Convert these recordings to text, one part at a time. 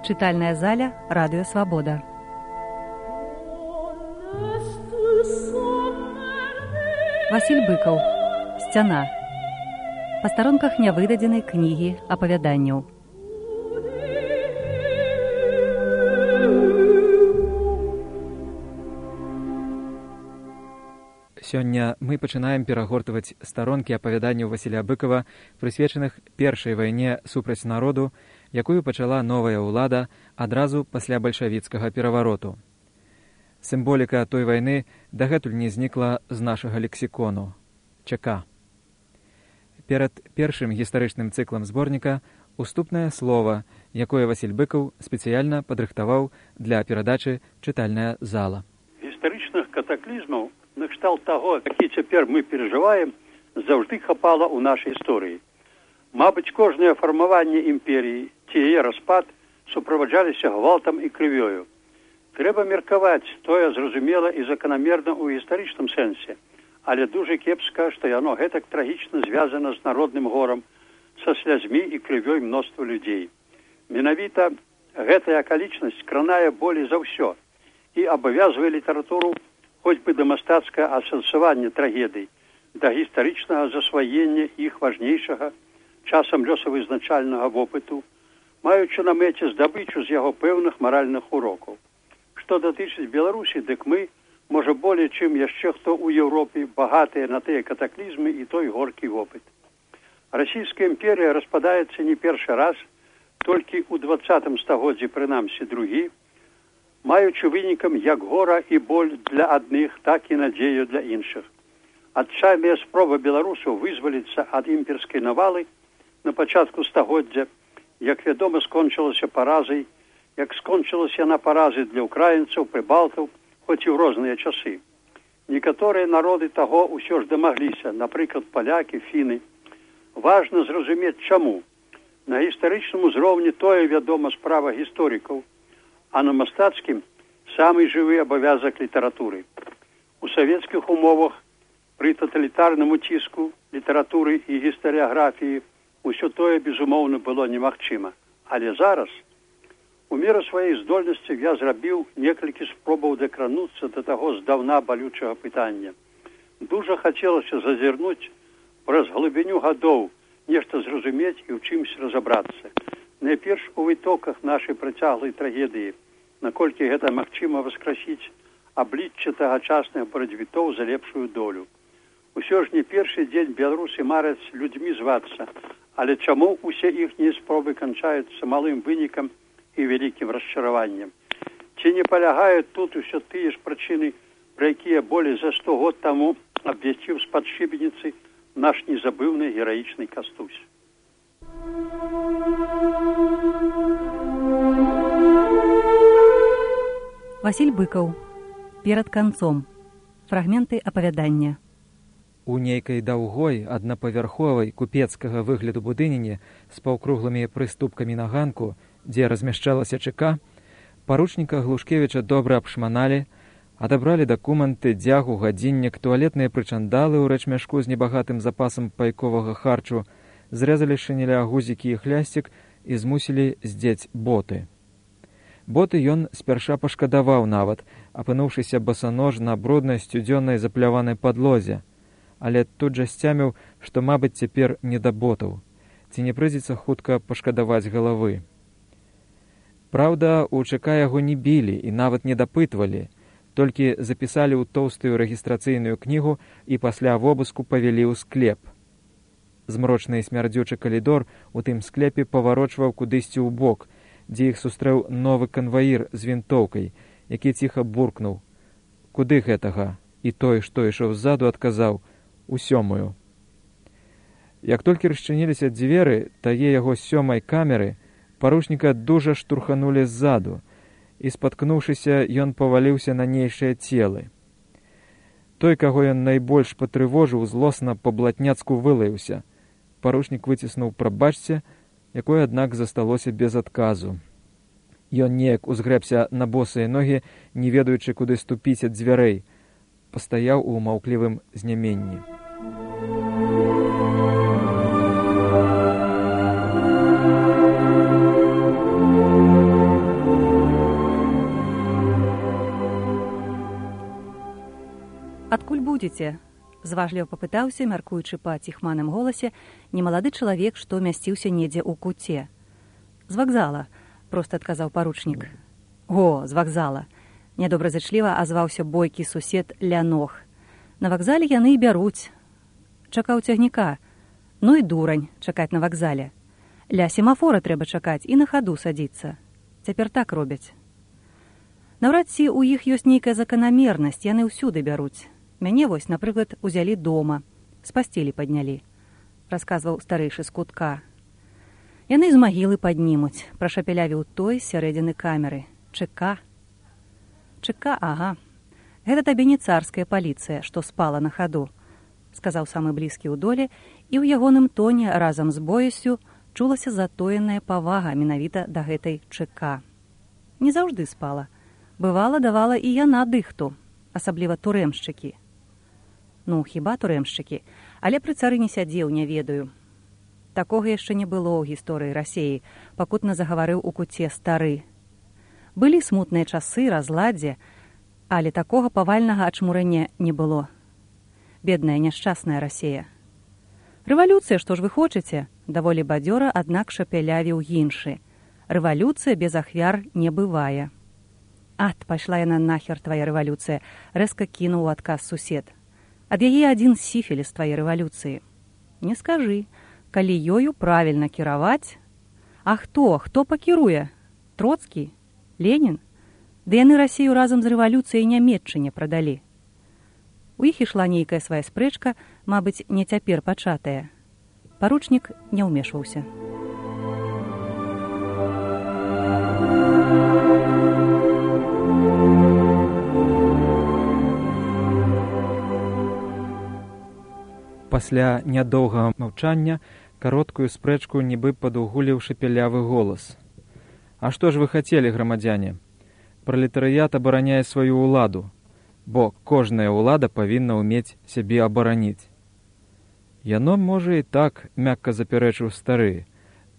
Чытальная заля Радыё Свабода. Васіль Быкаў. Сцяна. Па старонках нявыдадзенай кнігі апавяданняў. Сёння мы пачынаем перагортваць старонкі апавяданняў Васіля Быкава, прысвечаных першай вайне супраць народу, якую пачала новая ўлада адразу пасля бальшавіцкага перавароту. Сімволіка той вайны дагэтуль не знікла з нашага лексікону. ЧК. Перад першым гістарычным цыклам зборніка уступнае слова, якое Васіль Быкаў спецыяльна падрыхтаваў для перадачы «Чытальная зала». Гістарычных катаклізмаў накшталт таго, які цяпер мы перажываем, заўжды хапала ў нашай гісторыі. Мабыць, кожнае фармаванне імперіі ці яе распад суправаджаліся гвалтам і крывёю. Трэба меркаваць, тое зразумела і заканамерна ў гістарычным сэнсе, але дужа кепска, што яно гэтак трагічна звязана з народным горам, са слязьмі і крывёй мноства людзей. Менавіта гэтая акалічнасць кранае болей за ўсё і абавязвае літаратуру хоць бы да мастацкага асэнсавання трагедый, да гістарычнага засваення іх важнейшага, часам лёсавызначальнага вопыту, маючы на мэце здабычу з яго пэўных маральных урокаў. Што датычыць Беларусі, дык мы, можа болей, чым яшчэ хто ў Еўропе, багатыя на тыя катаклізмы і той горкі вопыт. Расійская імперія распадаецца не першы раз, толькі ў 20 стагоддзі, прынамсі другі, маючы вынікам як гора і боль для адных, так і надзею для іншых. Адчайная спроба беларусаў вызваліцца ад імперскай навалы на пачатку стагоддзя, як вядома, скончылася паразай, як скончылася яна паразай для ўкраінцаў, прыбалтаў, хоць і ў розныя часы. Некаторыя народы таго ўсё ж дамагліся, напрыклад, палякі, фіны. Важна зразумець, чаму. На гістарычным узроўні тое, вядома, справа гісторыкаў, а на мастацкім самы жывы абавязак літаратуры. У савецкіх умовах пры таталітарным уціску літаратуры і гістарыяграфіі усё тое, безумоўна, было немагчыма. Але зараз, у меру сваёй здольнасці, я зрабіў некалькі спробаў дакрануцца да таго здаўна балючага пытання. Дужа хацелася зазірнуць праз глыбіню гадоў, нешта зразумець і ў чымсь разабрацца. Найперш у вытоках нашай працяглай трагедыі, наколькі гэта магчыма васкрасіць аблічча тагачасных барацьбітоў за лепшую долю. Усё ж не першы дзень беларусы мараць людзьмі звацца, але чаму усе іхнія спробы канчаюцца малым вынікам і вялікім расчараваннем? Ці не палягаюць тут усё тыя ж прычыны, пра якія болей за 100 год таму абвясціў з-пад шыбеніцы наш незабыўны гераічны Кастусь? Васіль Быкаў. Перад канцом. Фрагменты апавядання. У нейкай даўгой, аднапавярховай, купецкага выгляду будыніне з паўкруглымі прыступкамі на ганку, дзе размяшчалася ЧК, паручніка Глушкевіча добра абшманалі, адабралі дакументы, дзягу, гадзіннік, туалетныя прычандалы ў рэчмяшку з небагатым запасам пайковага харчу, зрэзалі шынеля гузікі і хлясцік і змусілі здзець боты. Боты ён спярша пашкадаваў нават, апынуўшыся басанож на бруднай сцюдзённай запляванай падлозе, але тут жа сцяміў, што, мабыць, цяпер не да ботаў, ці не прыйдзецца хутка пашкадаваць галавы. Праўда, у ЧК яго не білі і нават не дапытвалі, толькі запісалі ў тоўстую рэгістрацыйную кнігу і пасля вобыску павялі ў склеп. Змрочны і смярдзючы калідор у тым склепе паварочваў кудысьці ў бок, дзе іх сустрэў новы канваір з вінтоўкай, які ціха буркнуў: «Куды гэтага?» І той, што ішоў ззаду, адказаў: «У 7-ю». Як толькі расчыніліся дзверы тае яго 7-й камеры, паручніка дужа штурханулі ззаду, і, спаткнуўшыся, ён паваліўся на нейшыя целы. Той, каго ён найбольш патрывожыў, злосна па-блатняцку вылаяўся. Паручнік выціснуў «прабачце», якое, аднак, засталося без адказу. Ён неяк узгрэбся на босыя ногі, не ведаючы, куды ступіць ад дзвярэй, пастаяў у маўклівым зняменні. будзеце? Зважліва папытаўся, мяркуючы па ціхманым голасе, немалады чалавек, што мясціўся недзе ў куце. З вакзала, проста адказаў паручнік. О, з вакзала. Нядобразычліва азваўся бойкі сусед Лянох. На вакзале яны і бяруць. Чакаў цягніка. Ну і дурань чакаць на вакзале. Ля семафора трэба чакаць і на хаду садзіцца. Цяпер так робяць. Наўрад ці ў іх ёсць нейкая заканамернасць, яны ўсюды бяруць. Мяне вось, напрыклад, узялі дома, з пасцелі паднялі, расказваў старэйшы з кутка. Яны з магілы паднімуць, прашапялявіў той з сярэдзіны камеры. ЧК. ЧК, ага. Гэта табе не царская паліцыя, што спала на хаду, сказаў самы блізкі ў доле, і ў ягоным тоне разам з боясю чулася затоеная павага менавіта да гэтай ЧК. Не заўжды спала. Бывала, давала і яна дыхту, асабліва турэмшчыкі. Ну, хіба турэмшчыкі, але пры цары не сядзеў, не ведаю. Такога яшчэ не было ў гісторыі Расеі, пакутна загаварыў у куце стары. Былі смутныя часы, разладдзе, але такога павальнага ачмурэння не было. Бедная, няшчасная Расея. Рэвалюцыя, што ж вы хочаце? Даволі бадзёра, аднак шапялявіў іншы. Рэвалюцыя без ахвяр не бывае. Ат, пайшла яна нахер, твая рэвалюцыя, рэзка кінуў у адказ сусед. Ад яе адзін сіфіліс твае рэвалюцыі. Не скажы, калі ёю правільна кіраваць. А хто пакіруе? Троцкі? Ленін? Ды яны Расію разам з рэвалюцыяй Нямецчыне прадалі. У іх ішла нейкая свая спрэчка, мабыць, не цяпер пачатая. Паручнік не ўмешваўся. Пасля нядоўгага маўчання кароткую спрэчку нібы падугуліў шапялявы голас. А што ж вы хацелі, грамадзяне? Пралетарыят абараняе сваю ўладу, бо кожная ўлада павінна ўмець сябе абараніць. Яно, можа, і так, мякка запярэчыў стары.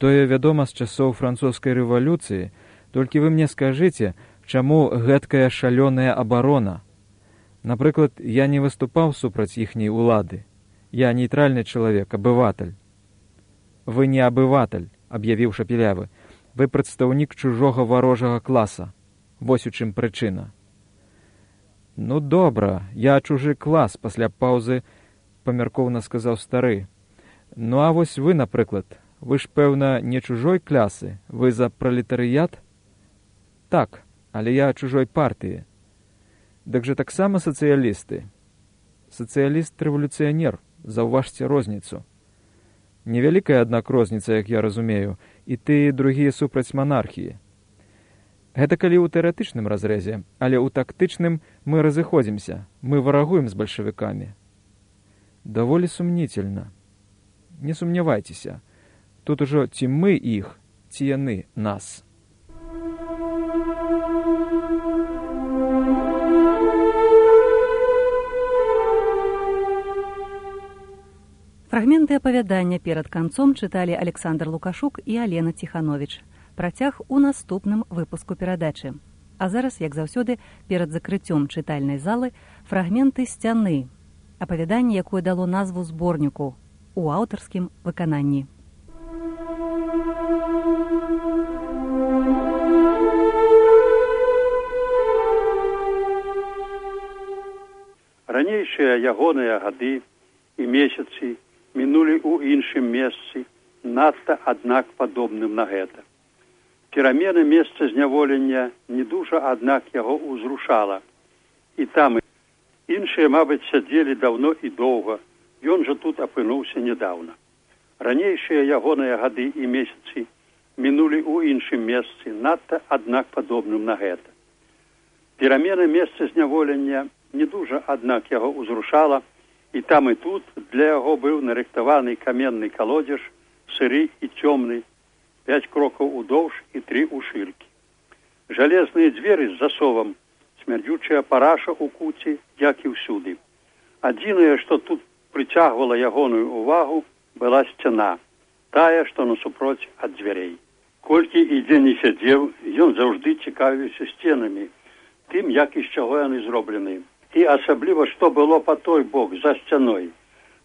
Тое вядома з часоў французскай рэвалюцыі, толькі вы мне скажыце, чаму гэткая шалёная абарона? Напрыклад, я не выступаў супраць іхняй улады. Я нейтральны чалавек, абыватель. Вы не абыватель, аб'явіў шапялявы. Вы прадстаўнік чужога варожага класа. Вось у чым прычына. Ну, добра, я чужы клас, пасля паўзы памяркоўна сказаў стары. Ну, а вось вы, напрыклад, вы ж, пэўна, не чужой клясы, вы за пралетарыят? Так, але я чужой партыі. Дык жа таксама сацыялісты. Сацыяліст-рэвалюцыянер, заўважце розніцу. Невялікая, аднак, розніца, як я разумею, і ты, і другія супраць манархіі. Гэта калі ў тэарэтычным разрэзе, але ў тактычным мы разыходзімся, мы варагуем з бальшавікамі. Даволі сумнительна. Не сумнявайцеся. Тут ужо ці мы іх, ці яны нас. Фрагменты апавядання перад канцом чыталі Александр Лукашук і Алена Ціхановіч. Працяг у наступным выпуску перадачы. А зараз, як заўсёды, перад закрыццём чытальнай залы фрагменты сцяны. Апавяданне, якое дало назву зборніку у аўтарскім выкананні. Ранейшыя ягоныя гады і месяцы мінулі ў іншым месцы, надта, аднак, падобным на гэта. Перамены месца зняволення не дужа, аднак, яго ўзрушала. І там іншыя, мабыць, сядзелі даўно і доўга, ён жа тут апынуўся нядаўна. Ранейшыя ягоныя гады і месяцы мінулі ў іншым месцы, надта, аднак, падобным на гэта. Перамены месца зняволення не дужа, аднак, яго ўзрушала, і там і тут для яго быў нарыхтаваны каменны калодзеж, сыры і цёмны, 5 крокаў удоўж і 3 у шыркі. Жалезныя дзверы з засовам, смярдзючая параша ў куце, як і ўсюды. Адзінае, што тут прыцягвала ягоную ўвагу, была сцяна, тая, што насупроць ад дзвярэй. Колькі і дзе не сядзеў, ён заўжды цікавіўся сценамі, тым, як і з чаго яны зроблены. І асабліва, што было па той бок, за сцяной.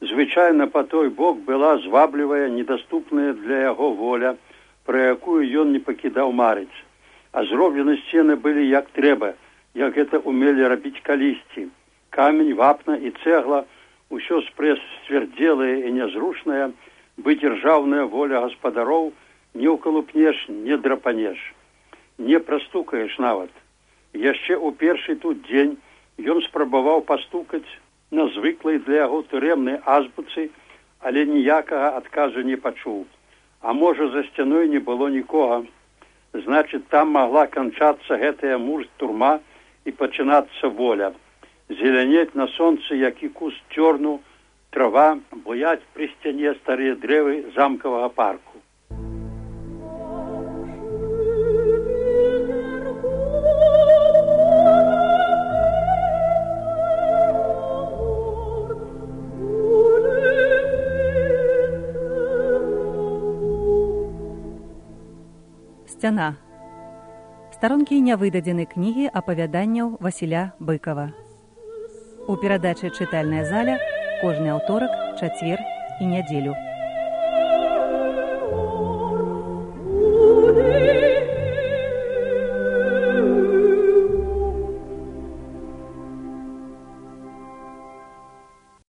Звычайна па той бок была зваблівая, недаступная для яго воля, пра якую ён не пакідаў марыць. А зроблены сцены былі як трэба, як гэта умелі рабіць калісьці. Камень, вапна і цэгла, усё сцвярдзелае і нязручнае, бы дзяржаўная воля гаспадароў не ўкалупнеш, не драпанеш, не прастукаеш нават. Яшчэ ў першы тут дзень ён спрабаваў пастукаць на звыклай для яго турэмнай азбуцы, але ніякага адказу не пачуў. А можа, за сцяной не было нікога. Значыць, там магла канчацца гэтая муж-турма і пачынацца воля. Зелянець на сонцы, як і куст цёрну, трава, буяць пры сцяне старыя дрэвы замкавага парку. Сцяна. Старонкі нявыдадзенай кнігі апавяданняў Васіля Быкава. У перадачы «Чытальная заля» кожны аўторак, чацвер і нядзелю.